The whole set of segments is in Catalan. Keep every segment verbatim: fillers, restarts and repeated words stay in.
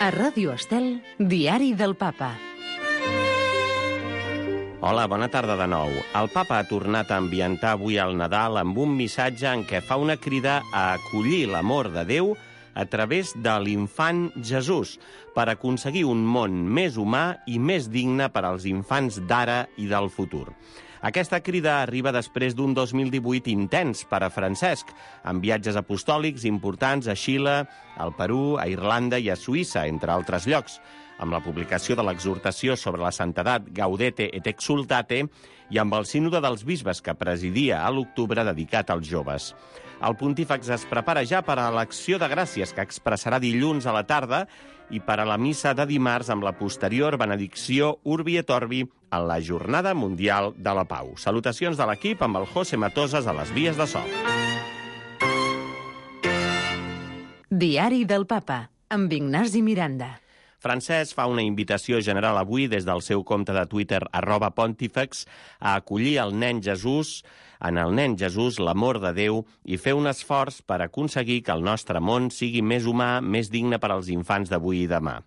A Ràdio Estel, Diari del Papa. Hola, bona tarda de nou. El papa ha tornat a ambientar avui el Nadal amb un missatge en què fa una crida a acollir l'amor de Déu a través de l'infant Jesús per aconseguir un món més humà i més digne per als infants d'ara i del futur. Aquesta crida arriba després d'un dos mil divuit intens per a Francesc, amb viatges apostòlics importants a Xile, al Perú, a Irlanda i a Suïssa, entre altres llocs, amb la publicació de l'exhortació sobre la santedat Gaudete et Exsultate i amb el sínode dels bisbes que presidia a l'octubre dedicat als joves. El pontífex es prepara ja per a l'acció de gràcies que expressarà dilluns a la tarda i per a la missa de dimarts amb la posterior benedicció Urbi et Orbi en la Jornada Mundial de la Pau. Salutacions de l'equip amb el José Matosas a les vies de so. Diari del Papa, amb Ignasi Miranda. Francesc fa una invitació general avui des del seu compte de Twitter, arroba pontífex, a acollir el nen Jesús, en el nen Jesús l'amor de Déu i fer un esforç per aconseguir que el nostre món sigui més humà, més digne per als infants d'avui i demà.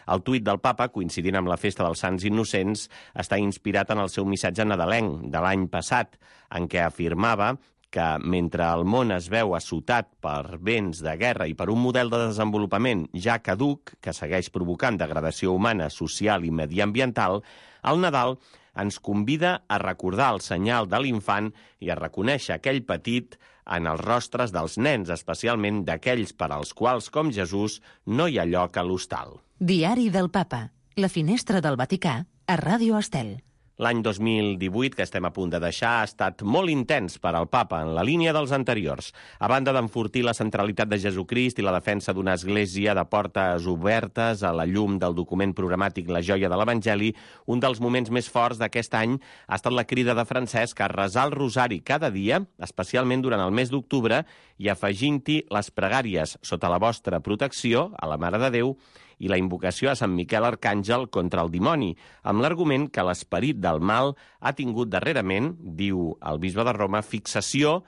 El tuit del papa, coincidint amb la festa dels Sants Innocents, està inspirat en el seu missatge nadalenc de l'any passat, en què afirmava que mentre el món es veu assotat per vents de guerra i per un model de desenvolupament ja caduc, que segueix provocant degradació humana, social i mediambiental, el Nadal ens convida a recordar el senyal de l'infant i a reconèixer aquell petit en els rostres dels nens, especialment d'aquells per als quals, com Jesús, no hi ha lloc a l'hostal. Diari del Papa, la finestra del Vaticà, a Ràdio Estel. L'any dos mil divuit, que estem a punt de deixar, ha estat molt intens per al papa, en la línia dels anteriors. A banda d'enfortir la centralitat de Jesucrist i la defensa d'una església de portes obertes a la llum del document programàtic La joia de l'Evangeli, un dels moments més forts d'aquest any ha estat la crida de Francesc a resar el rosari cada dia, especialment durant el mes d'octubre, i afegint-hi les pregàries sota la vostra protecció, a la Mare de Déu, i la invocació a Sant Miquel Arcàngel contra el dimoni, amb l'argument que l'esperit del mal ha tingut darrerament, diu el bisbe de Roma, fixació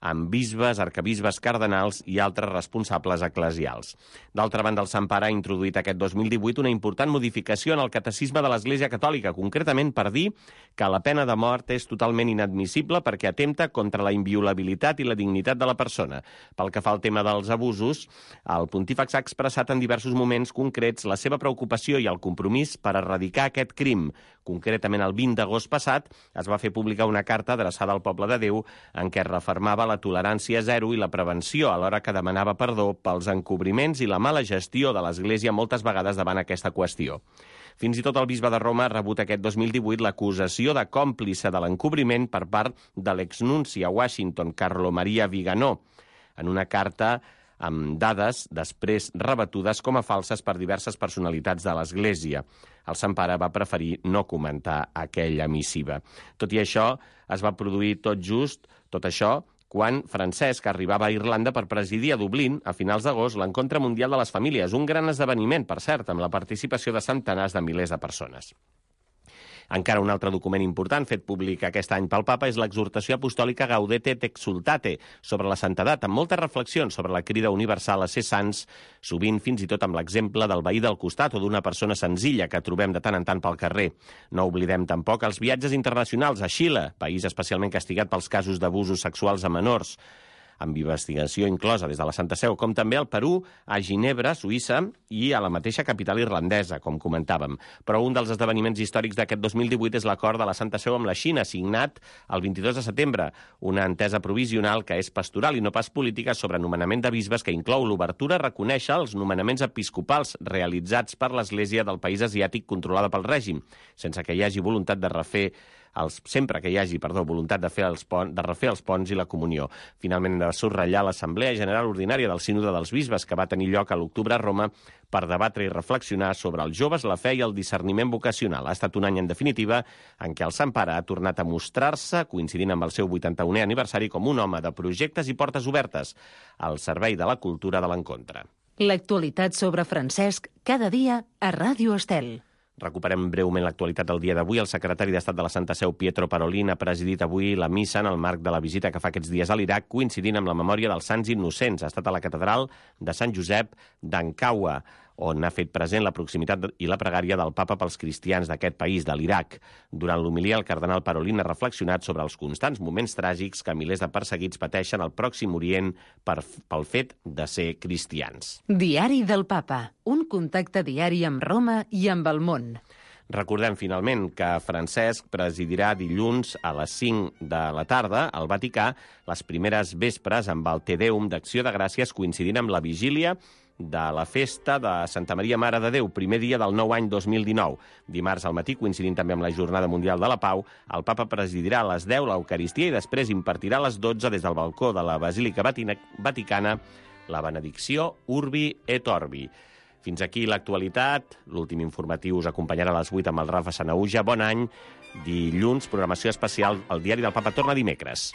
amb bisbes, arcabisbes, cardenals i altres responsables eclesials. D'altra banda, el Sant Pare ha introduït aquest dos mil divuit una important modificació en el catecisme de l'Església Catòlica, concretament per dir que la pena de mort és totalment inadmissible perquè atempta contra la inviolabilitat i la dignitat de la persona. Pel que fa al tema dels abusos, el pontífex ha expressat en diversos moments concrets la seva preocupació i el compromís per erradicar aquest crim. Concretament, el vint d'agost passat es va fer pública una carta adreçada al poble de Déu en què refermava la tolerància zero i la prevenció, alhora que demanava perdó pels encobriments i la mala gestió de l'Església moltes vegades davant aquesta qüestió. Fins i tot el bisbe de Roma ha rebut aquest dos mil divuit l'acusació de còmplice de l'encobriment per part de l'exnunci a Washington, Carlo Maria Viganò, en una carta amb dades després rebatudes com a falses per diverses personalitats de l'Església. El Sant Pare va preferir no comentar aquella missiva. Tot i això, es va produir tot just, tot això, quan Francesc arribava a Irlanda per presidir a Dublín, a finals d'agost, l'Encontre Mundial de les Famílies, un gran esdeveniment, per cert, amb la participació de centenars de milers de persones. Encara un altre document important fet públic aquest any pel papa és l'exhortació apostòlica Gaudete et Exsultate sobre la santedat, amb moltes reflexions sobre la crida universal a ser sants, sovint fins i tot amb l'exemple del veí del costat o d'una persona senzilla que trobem de tant en tant pel carrer. No oblidem tampoc els viatges internacionals a Xile, país especialment castigat pels casos d'abusos sexuals a menors, amb investigació inclosa des de la Santa Seu, com també al Perú, a Ginebra, Suïssa, i a la mateixa capital irlandesa, com comentàvem. Però un dels esdeveniments històrics d'aquest dos mil divuit és l'acord de la Santa Seu amb la Xina, signat el vint-i-dos de setembre, una entesa provisional que és pastoral i no pas política sobre nomenament de bisbes que inclou l'obertura a reconèixer els nomenaments episcopals realitzats per l'Església del país asiàtic controlada pel règim, sense que hi hagi voluntat de refer Els, sempre que hi hagi perdó, voluntat de, fer els pon, de refer els ponts i la comunió. Finalment, hem de subratllar l'Assemblea General Ordinària del Sínode dels Bisbes, que va tenir lloc a l'octubre a Roma per debatre i reflexionar sobre els joves, la fe i el discerniment vocacional. Ha estat un any, en definitiva, en què el Sant Pare ha tornat a mostrar-se, coincidint amb el seu vuitanta-unè aniversari, com un home de projectes i portes obertes al servei de la cultura de l'encontre. L'actualitat sobre Francesc, cada dia a Ràdio Estel. Recuperem breument l'actualitat del dia d'avui. El secretari d'Estat de la Santa Seu, Pietro Parolin, ha presidit avui la missa en el marc de la visita que fa aquests dies a l'Iraq, coincidint amb la memòria dels Sants Innocents. Ha estat a la catedral de Sant Josep d'Ankawa, on ha fet present la proximitat i la pregària del papa pels cristians d'aquest país, de l'Iraq. Durant l'homilia, el cardenal Parolin ha reflexionat sobre els constants moments tràgics que milers de perseguits pateixen al Pròxim Orient per, pel fet de ser cristians. Diari del Papa, un contacte diari amb Roma i amb el món. Recordem, finalment, que Francesc presidirà dilluns a les cinc de la tarda al Vaticà les primeres vespres amb el Te Deum d'Acció de Gràcies, coincidint amb la vigília de la festa de Santa Maria Mare de Déu, primer dia del nou any dos mil dinou. Dimarts al matí, coincidint també amb la Jornada Mundial de la Pau, el papa presidirà a les deu l'Eucaristia i després impartirà a les dotze des del balcó de la Basílica Vaticana la benedicció Urbi et Orbi. Fins aquí l'actualitat. L'últim informatiu us acompanyarà a les vuit amb el Rafa Sanauja. Bon any. Dilluns, programació especial. El Diari del Papa torna dimecres.